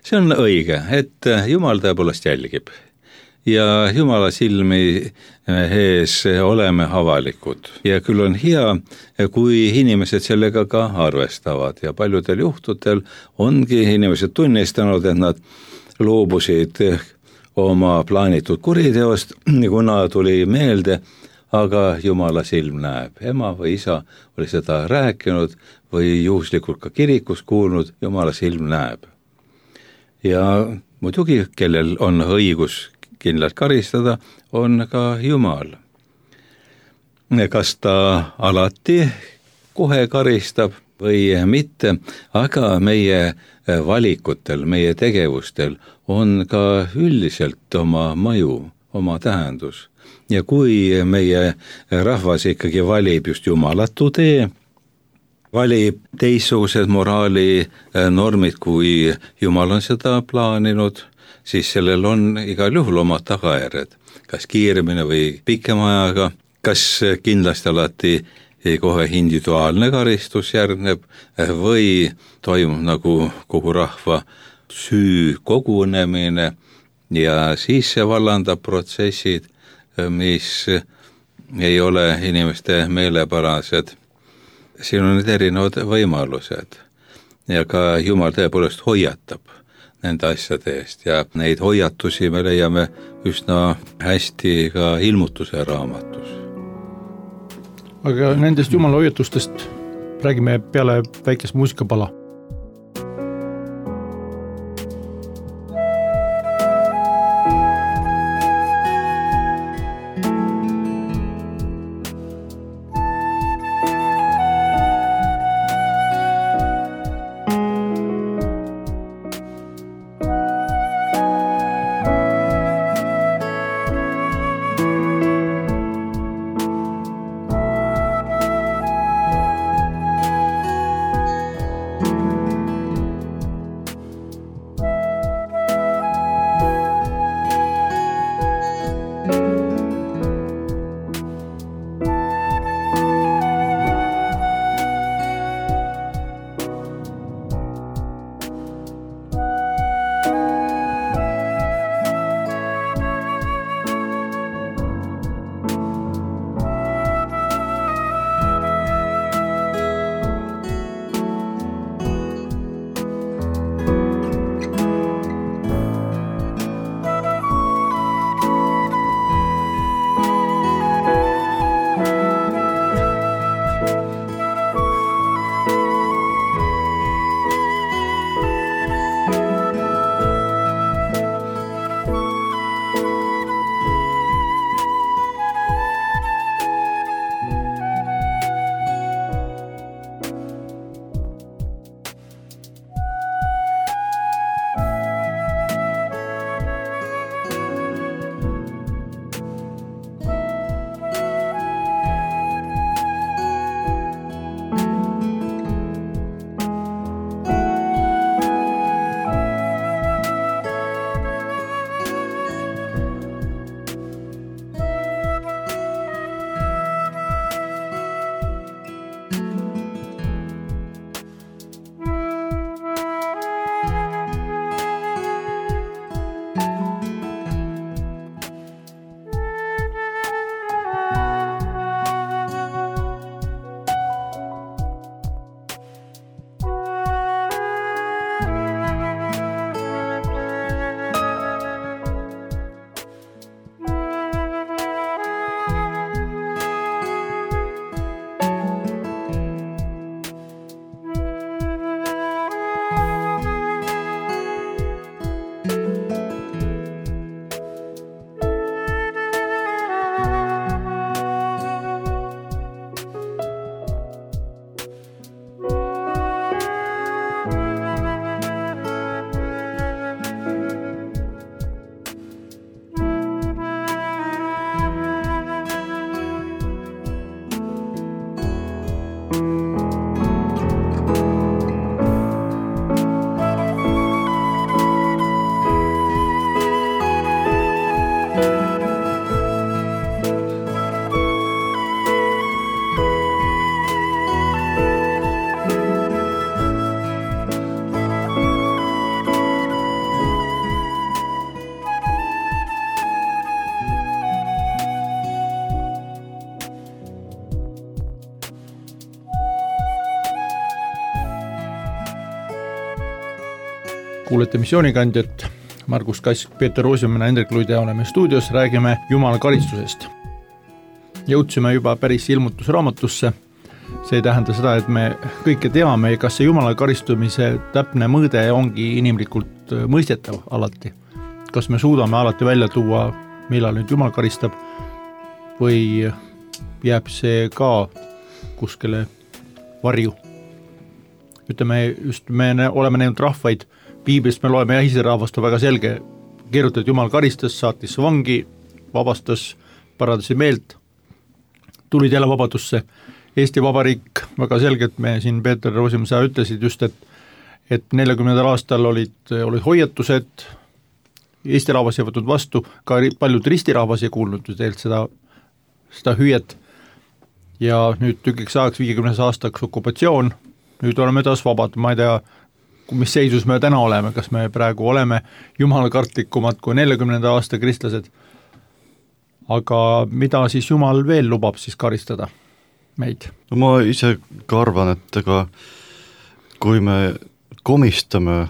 See on õige, et Jumal tõepoolest jälgib ja Jumala silmi ees oleme avalikud ja küll on hea, kui inimesed sellega ka arvestavad ja paljudel juhtudel ongi inimesed tunnistanud, et nad loobusid oma plaanitud kuriteost, kuna tuli meelde, aga Jumala silm näeb. Ema või isa oli seda rääkinud või juhuslikult ka kirikus kuulnud, Jumala silm näeb. Ja muidugi, kellel on õigus kindlalt karistada, on ka Jumal. Kas ta alati kohe karistab või mitte, aga meie valikutel, meie tegevustel on ka üldiselt oma mõju, oma tähendus. Ja kui meie rahvas ikkagi valib just jumalatu tee, valib teistsugused moraali normid, kui Jumal on seda plaaninud, siis sellel on igal juhul omad tagajärjed, kas kiiremini või pikema ajaga, kas kindlasti alati kohe individuaalne karistus järgneb või toimub nagu kogu rahva süü kogunemine ja siis see vallandab protsessid, mis ei ole inimeste meelepärased. Siin on need erinevad võimalused ja ka Jumal tõepoolest hoiatab nende asjade eest ja neid hoiatusi me leiame üsna hästi ka ilmutuse raamatus. Aga nendest Jumala hoiatustest räägime peale väikest muusikapala. kuulete Missioonikandjat, Margus Kask, Peeter Roosimann, Hendrik Luide oleme stuudios, räägime Jumala karistusest. Jõudsime juba päris ilmutusraamatusse, see ei tähenda seda, et me kõike teame, kas see Jumala karistumise täpne mõõde ongi inimlikult mõistetav alati. Kas me suudame alati välja tuua, millal nüüd Jumal karistab või jääb see ka kuskile varju. Ütleme, just me oleme näinud rahvaid, Piiblist me loeme ja Iisraelist on väga selge, kirjutab, et Jumal karistas, saatis vangi, vabastas, parandas meelt, tulid jälle vabadusse. Eesti Vabariik väga selgelt, me siin Peeter Roosimann, sa ütlesid just, et, et neljakümnendal aastal olid, olid hoiatused, Eesti rahvas ei võtnud vastu, ka paljud ristirahvas ei kuulnud teilt seda, seda hüüet ja nüüd tükiks ajaks viiekümnes aastaks okupatsioon, nüüd oleme taas vabad, ma ei tea, mis seisus me täna oleme, kas me praegu oleme jumalakartlikumad kui neljakümnenda aasta kristlased, aga mida siis Jumal veel lubab siis karistada meid? No ma ise ka arvan, et ega kui me komistame,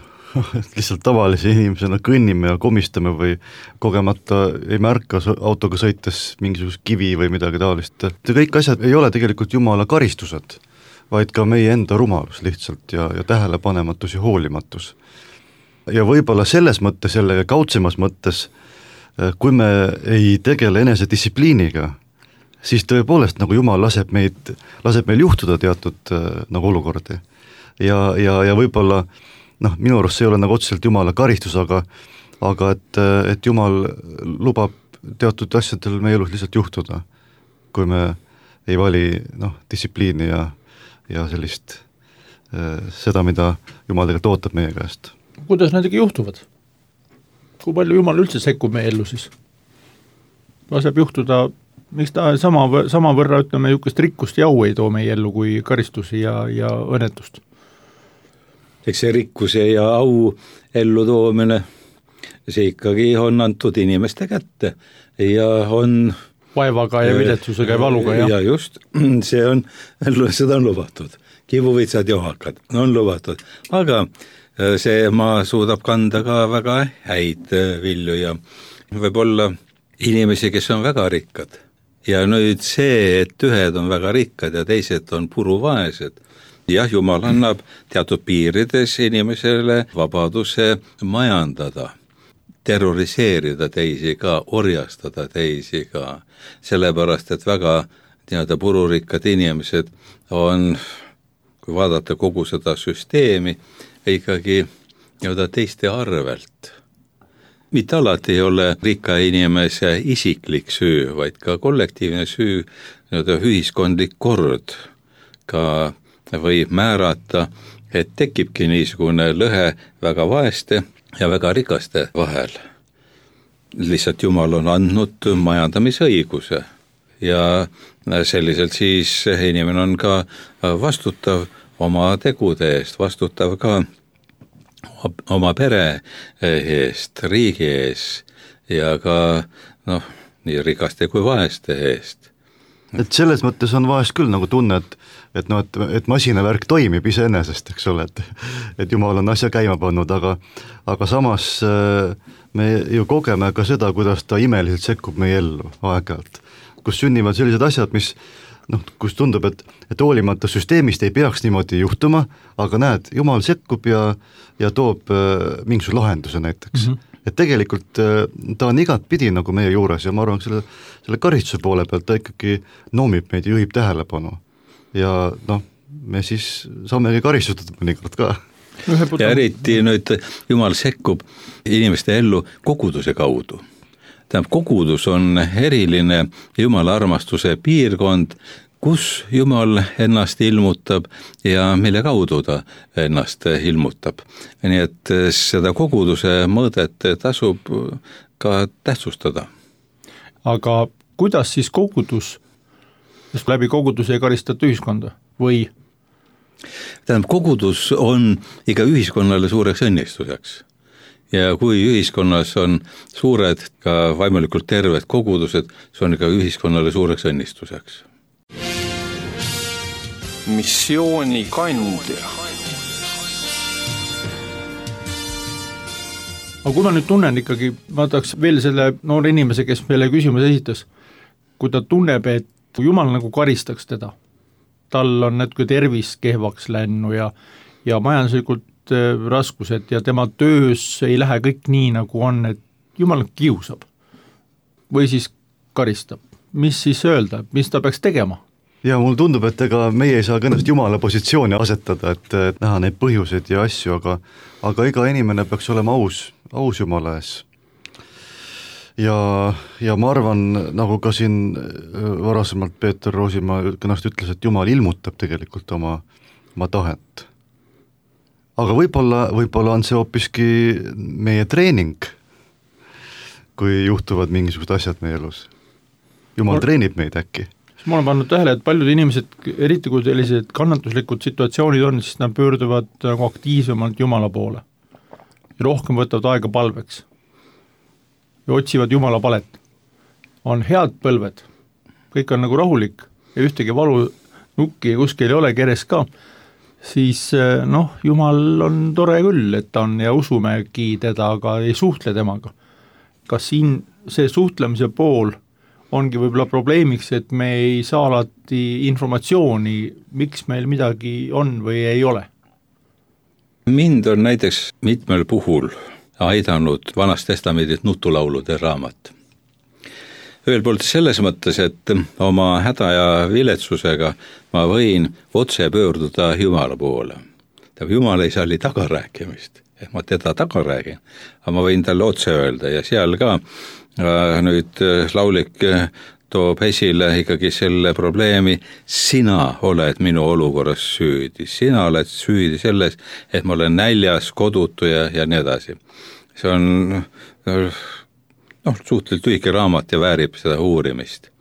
lihtsalt tavalise inimesena kõnnime ja komistame või kogemata ei märka autoga sõites mingisugust kivi või midagi taolist. Kõik asjad ei ole tegelikult Jumala karistused, vaid ka meie enda rumalus lihtsalt ja, ja tähelepanematus ja hoolimatus. Ja võib-olla selles mõttes, selle kaudsemas mõttes, kui me ei tegele enesedistsipliiniga, siis tõepoolest nagu Jumal laseb, meid, laseb meil juhtuda teatud nagu olukordi. Ja, ja, ja võib-olla noh, minu arust see ei ole nagu otseselt Jumala karistus, aga, aga et, et Jumal lubab teatud asjadel meie elus lihtsalt juhtuda, kui me ei vali noh, distsipliini ja, ja sellist seda, mida Jumal tegelikult ootab meie käest. Kuidas nendega juhtuvad? Kui palju Jumal üldse sekkub meie ellu siis? Laseb juhtuda, miks ta sama, sama võrra ütleme jukest rikkust ja au ei too meie ellu kui karistusi ja, ja õnnetust? Eks see rikkuse ja au ellu toomine, see ikkagi on antud inimeste kätte ja on vaevaga ja viletsusega ja valuga. Ja, ja just, see on, seda on lubatud. Kivuvitsad ja ohakad on lubatud, aga see maa suudab kanda ka väga häid vilju ja võib olla inimesi, kes on väga rikkad. Ja nüüd see, et ühed on väga rikkad ja teised on puruvaesed, jah, Jumal annab teatud piirides inimesele vabaduse majandada, terroriseerida teisi ka, orjastada teisi ka, sellepärast, et väga teada pururikkad inimesed on, kui vaadata kogu seda süsteemi, ikkagi teada teiste arvelt. Mitte alati ei ole rikka inimese isiklik süü, vaid ka kollektiivne süü, teada ühiskondlik kord, ka võib määrata, et tekibki niisugune lõhe väga vaeste ja väga rikaste vahel. Lihtsalt Jumal on andnud majandamisõiguse ja selliselt siis inimene on ka vastutav oma tegude eest, vastutav ka oma pere eest, riigi ees ja ka noh, nii rikaste kui vaeste eest. Et selles mõttes on vahest küll nagu tunne, et et, no, et, et masinavärk toimib iseenesest, eks ole, et, et Jumal on asja käima pannud, aga, aga samas me ju kogeme ka seda, kuidas ta imeliselt sekkub meie ellu aeg-ajalt, kus sünnivad sellised asjad, mis noh, kus tundub, et, et hoolimata süsteemist ei peaks niimoodi juhtuma, aga näed, Jumal sekkub ja, ja toob mingisuguse lahenduse näiteks. Mm-hmm. Et tegelikult ta on igat pidi nagu meie juures ja ma arvan, selle, selle karistuse poole pealt ta ikkagi noomib meid ja juhib tähelepanu. Ja noh, me siis saamegi karistutud mõnikord ka. Ja eriti nüüd Jumal sekkub inimeste ellu koguduse kaudu. Tähendab, kogudus on eriline Jumala armastuse piirkond, kus Jumal ennast ilmutab ja mille kaudu ta ennast ilmutab. Nii et seda koguduse mõõdet tasub ka tähtsustada. Aga kuidas siis kogudus, sest läbi koguduse ei karistata ühiskonda või? Tähendab, kogudus on iga ühiskonnale suureks õnnistuseks. Ja kui ühiskonnas on suured, ka vaimulikult terved kogudused, see on ka ühiskonnale suureks õnnistuseks. Missioonikandja. aga kui ma nüüd tunnen ikkagi, ma tahaks veel selle noore inimese, kes meile küsimuse esitas, kui ta tunneb, et Jumal nagu karistaks teda, tal on natuke tervis kehvaks lännu ja, ja majanduslikult raskused ja tema töös ei lähe kõik nii, nagu on, et Jumal kiusab või siis karistab. Mis siis öelda, mis ta peaks tegema? Ja mul tundub, et ega meie ei saa kõnnast Jumala positsiooni asetada, et, et näha neid põhjuseid ja asju, aga, aga iga inimene peaks olema aus, aus Jumala ees. Ja, ja ma arvan, nagu ka siin varasemalt Peeter Roosimaa kõnast ütles, et Jumal ilmutab tegelikult oma, oma tahet. Aga võib-olla, võib-olla on see hoopiski meie treening, kui juhtuvad mingisugused asjad meie elus. Jumal treenib meid äkki. Ma olen pannud tähele, et paljud inimesed, eriti kui sellised kannatuslikud situatsioonid on, siis nad pöörduvad nagu aktiivsemalt Jumala poole. Ja rohkem võtavad aega palveks. Ja otsivad Jumala palet. On head põlved. Kõik on nagu rahulik ja ühtegi valu nukki kuskil ei ole keres ka. Siis noh, Jumal on tore küll, et ta on ja usumegi teda, aga ei suhtle temaga. Kas siin see suhtlemise pool ongi võib-olla probleemiks, et me ei saa alati informatsiooni, miks meil midagi on või ei ole? Mind on näiteks mitmel puhul aidanud Vanast Testamendit nutulaulude raamat. Ühel poolt selles mõttes, et oma häda ja viletsusega ma võin otse pöörduda Jumala poole. Jumal ei salli tagarääkimist, et ma teda taga räägin, aga ma võin talle otse öelda ja seal ka nüüd laulik toob esile ikkagi selle probleemi, sina oled minu olukorras süüdi, sina oled süüdi selles, et ma olen näljas, kodutu ja, ja nii edasi. See on noh, suhteliselt lühike raamat ja väärib seda uurimist.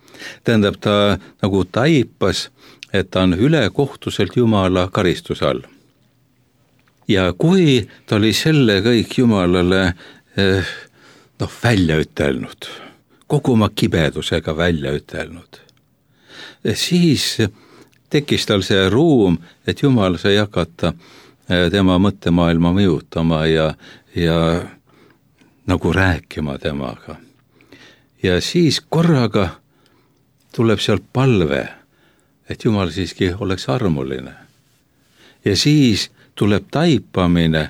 Tähendab, ta nagu taipas, et ta on ülekohtuselt Jumala karistuse all. Ja kui ta oli selle kõik Jumalale eh, noh, välja ütelnud, kogu oma kibedusega välja ütelnud, siis tekkis tal see ruum, et Jumal sai hakata tema mõttemaailma mõjutama ja, ja nagu rääkima temaga. Ja siis korraga tuleb sealt palve, et Jumal siiski oleks armuline. Ja siis tuleb taipamine,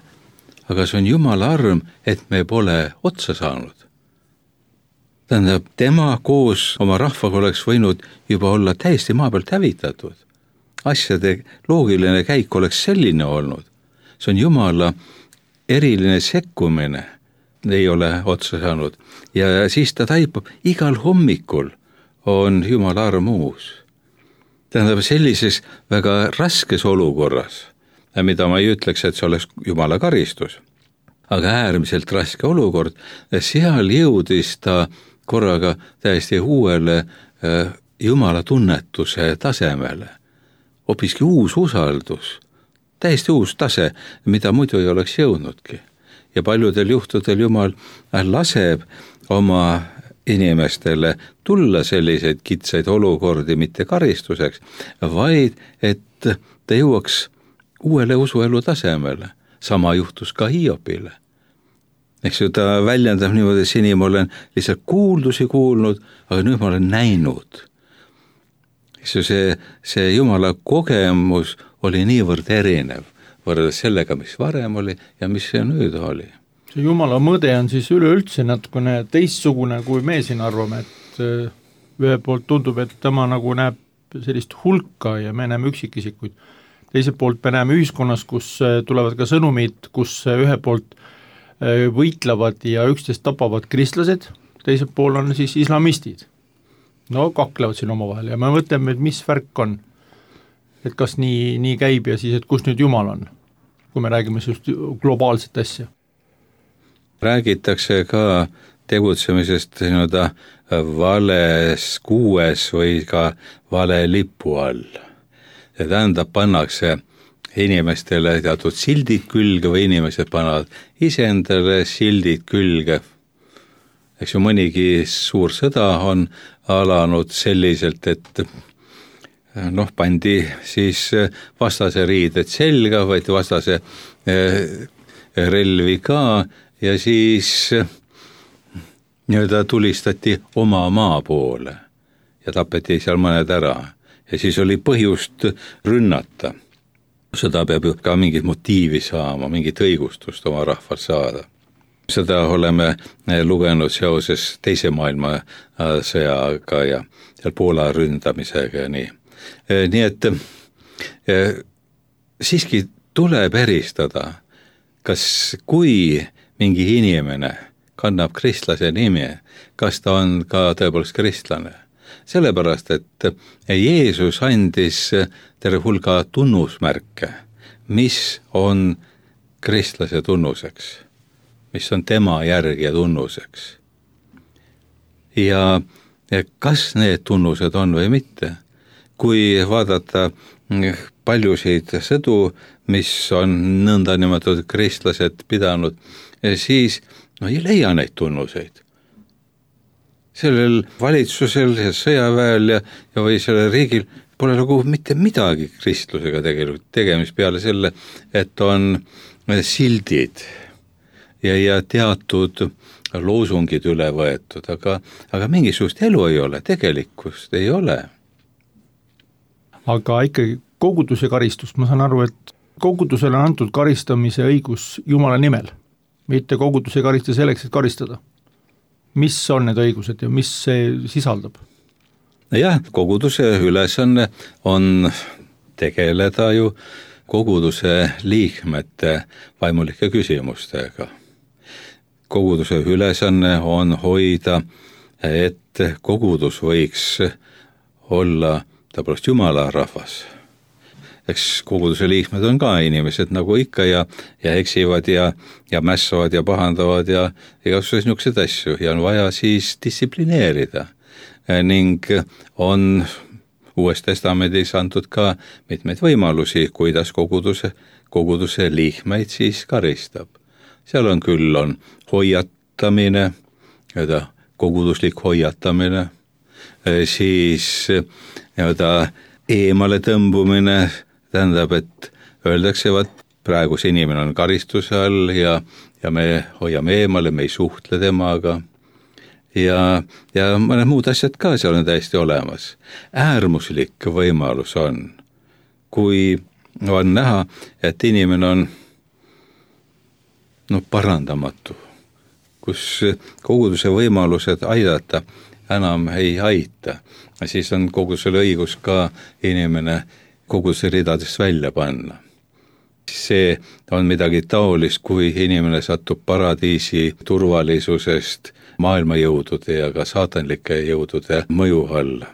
aga see on Jumala arm, et me pole otsa saanud. Tähendab, tema koos oma rahvaga oleks võinud juba olla täiesti maa pealt hävitatud. Asjade loogiline käik oleks selline olnud. See on Jumala eriline sekkumine, ei ole otsa saanud. Ja siis ta taipab, igal hommikul on Jumala arm uus. Tähendab, sellises väga raskes olukorras, mida ma ei ütleks, et see oleks Jumala karistus, aga äärmiselt raske olukord, seal jõudis ta korraga täiesti uuele Jumala tunnetuse tasemele, hoopiski uus usaldus, täiesti uus tase, mida muidu ei oleks jõudnudki. Ja paljudel juhtudel Jumal laseb oma inimestele tulla selliseid kitsaid olukordi mitte karistuseks, vaid et ta jõuaks uuele usuelu tasemele. Sama juhtus ka Hiopile. Eks ju, ta väljendab niimoodi, et seni ma olen lihtsalt kuuldusi kuulnud, aga nüüd ma olen näinud. Eks ju, see, see Jumala kogemus oli niivõrd erinev võrreldes sellega, mis varem oli ja mis see nüüd oli. See Jumala mõde on siis üleüldse natukene teistsugune, kui me siin arvame, et ühe poolt tundub, et tema nagu näeb sellist hulka ja me näeme üksikisikuid. Teiselt poolt me näeme ühiskonnas, kus tulevad ka sõnumid, kus ühe poolt võitlevad ja üksteist tapavad kristlased, teiselt pool on siis islamistid. No kaklevad siin omavahel ja me mõtleme, et mis värk on, et kas nii, nii käib ja siis, et kus nüüd Jumal on, kui me räägime just globaalset asja. Räägitakse ka tegutsemisest nii-öelda vales kuues või ka vale lipu all. Ja tähendab, pannakse inimestele teatud sildid külge või inimesed panevad iseendale sildid külge. Eks ju, mõnigi suur sõda on alanud selliselt, et noh, pandi siis vastase riided selga, võeti vastase relvi ka ja siis nii-öelda tulistati oma maa poole ja tapeti seal mõned ära ja siis oli põhjust rünnata. Seda peab ju ka mingit motiivi saama, mingit õigustust oma rahvalt saada. Seda oleme lugenud seoses teise maailmasõjaga ja seal Poola ründamisega ja nii. Nii et siiski tuleb eristada, kas kui mingi inimene kannab kristlase nimi, kas ta on ka tõepoolest kristlane. Sellepärast, et Jeesus andis terve hulga tunnusmärke, mis on kristlase tunnuseks, mis on tema järgi tunnuseks. Ja kas need tunnused on või mitte? Kui vaadata paljusid sõdu, mis on nõnda nimetatud kristlased pidanud, siis no ei leia neid tunnuseid. Sellel valitsusel ja sõjaväel ja, ja või sellel riigil pole nagu mitte midagi kristlusega tegelikult tegemist peale selle, et on sildid ja, ja teatud loosungid üle võetud, aga, aga mingisugust elu ei ole, tegelikkust ei ole. Aga ikkagi koguduse karistust, ma saan aru, et kogudusele on antud karistamise õigus Jumala nimel, mitte kogudus ei karista selleks, et karistada. Mis on need õigused ja mis see sisaldab? Jah, koguduse ülesanne on tegeleda ju koguduse liikmete vaimulike küsimustega. Koguduse ülesanne on hoida, et kogudus võiks olla tõepoolest Jumala rahvas. Eks koguduse liikmed on ka inimesed nagu ikka ja, ja eksivad ja, ja mässavad ja pahandavad ja igasuguseid niisuguseid asju ja on vaja siis distsiplineerida. Ning on Uues Testamendis antud ka mitmeid võimalusi, kuidas koguduse, koguduse liikmeid siis karistab. Seal on küll on hoiatamine, koguduslik hoiatamine, siis nii-öelda eemale tõmbumine, tähendab, et öeldakse, et praegu see inimene on karistuse all ja, ja me hoiame eemale, me ei suhtle temaga ja, ja mõned muud asjad ka seal on täiesti olemas. Äärmuslik võimalus on, kui on näha, et inimene on no, parandamatu, kus koguduse võimalused aidata enam ei aita, siis on kogudusel õigus ka inimene koguduse ridadest välja panna. See on midagi taolist, kui inimene satub paradiisi turvalisusest maailmajõudude ja ka saatanlike jõudude mõju alla.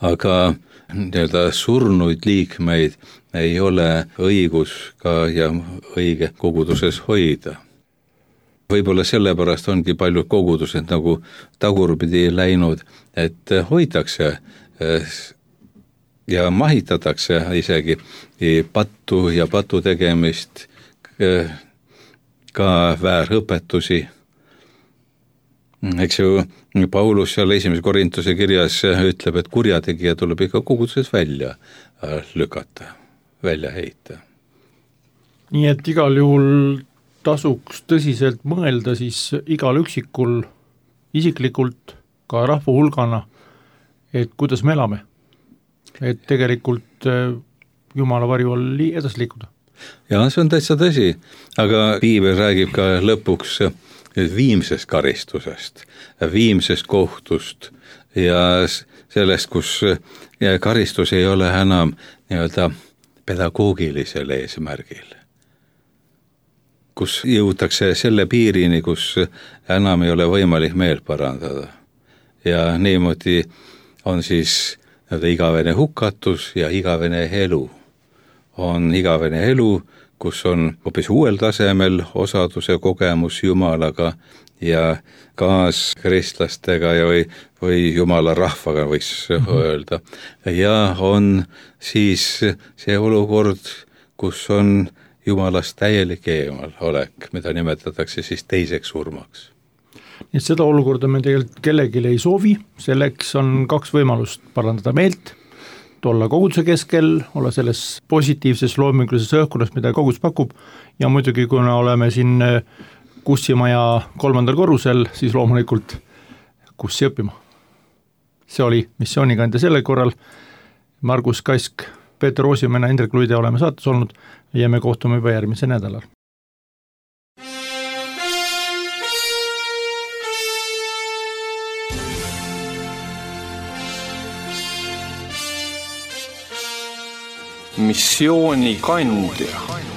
Aga nii-öelda surnuid liikmeid ei ole õigus ka ja õige koguduses hoida. Võib-olla sellepärast ongi paljud kogudused nagu tagurpidi läinud, et hoitakse ja mahitatakse isegi pattu ja patu tegemist, ka väärõpetusi. Eks ju, Paulus seal esimese Korintuse kirjas ütleb, et kurjategija tuleb ikka koguduses välja lükata, välja heita. Nii et igal juhul tasuks tõsiselt mõelda siis igal üksikul isiklikult, ka rahva hulgana, et kuidas me elame. Et tegelikult Jumala varju all edasi liikuda. Ja see on täitsa tõsi, aga Piibel räägib ka lõpuks viimsest karistusest, viimsest kohtust ja sellest, kus karistus ei ole enam nii-öelda pedagoogilisel eesmärgil, kus jõutakse selle piirini, kus enam ei ole võimalik meelt parandada. Ja niimoodi on siis igavene hukatus ja igavene elu. On igavene elu, kus on hoopis uuel tasemel osaduse kogemus Jumalaga ja kaaskristlastega ja või, või Jumala rahvaga võiks mm-hmm. öelda. Ja on siis see olukord, kus on Jumalast täielik eemal olek, mida nimetatakse siis teiseks surmaks. Nii et seda olukorda me tegelikult kellelegi ei soovi, selleks on kaks võimalust: parandada meelt, olla koguduse keskel, olla selles positiivses loomingulises õhkkonnas, mida kogudus pakub, ja muidugi kuna oleme siin Kussimaja kolmandal korrusel, siis loomulikult Kussi õppima. See oli missioonikandja sellel korral. Margus Kask, Peeter Roosimäe, Indrek Luide oleme saates olnud ja me kohtume juba järgmise nädalal. Missioonikandja.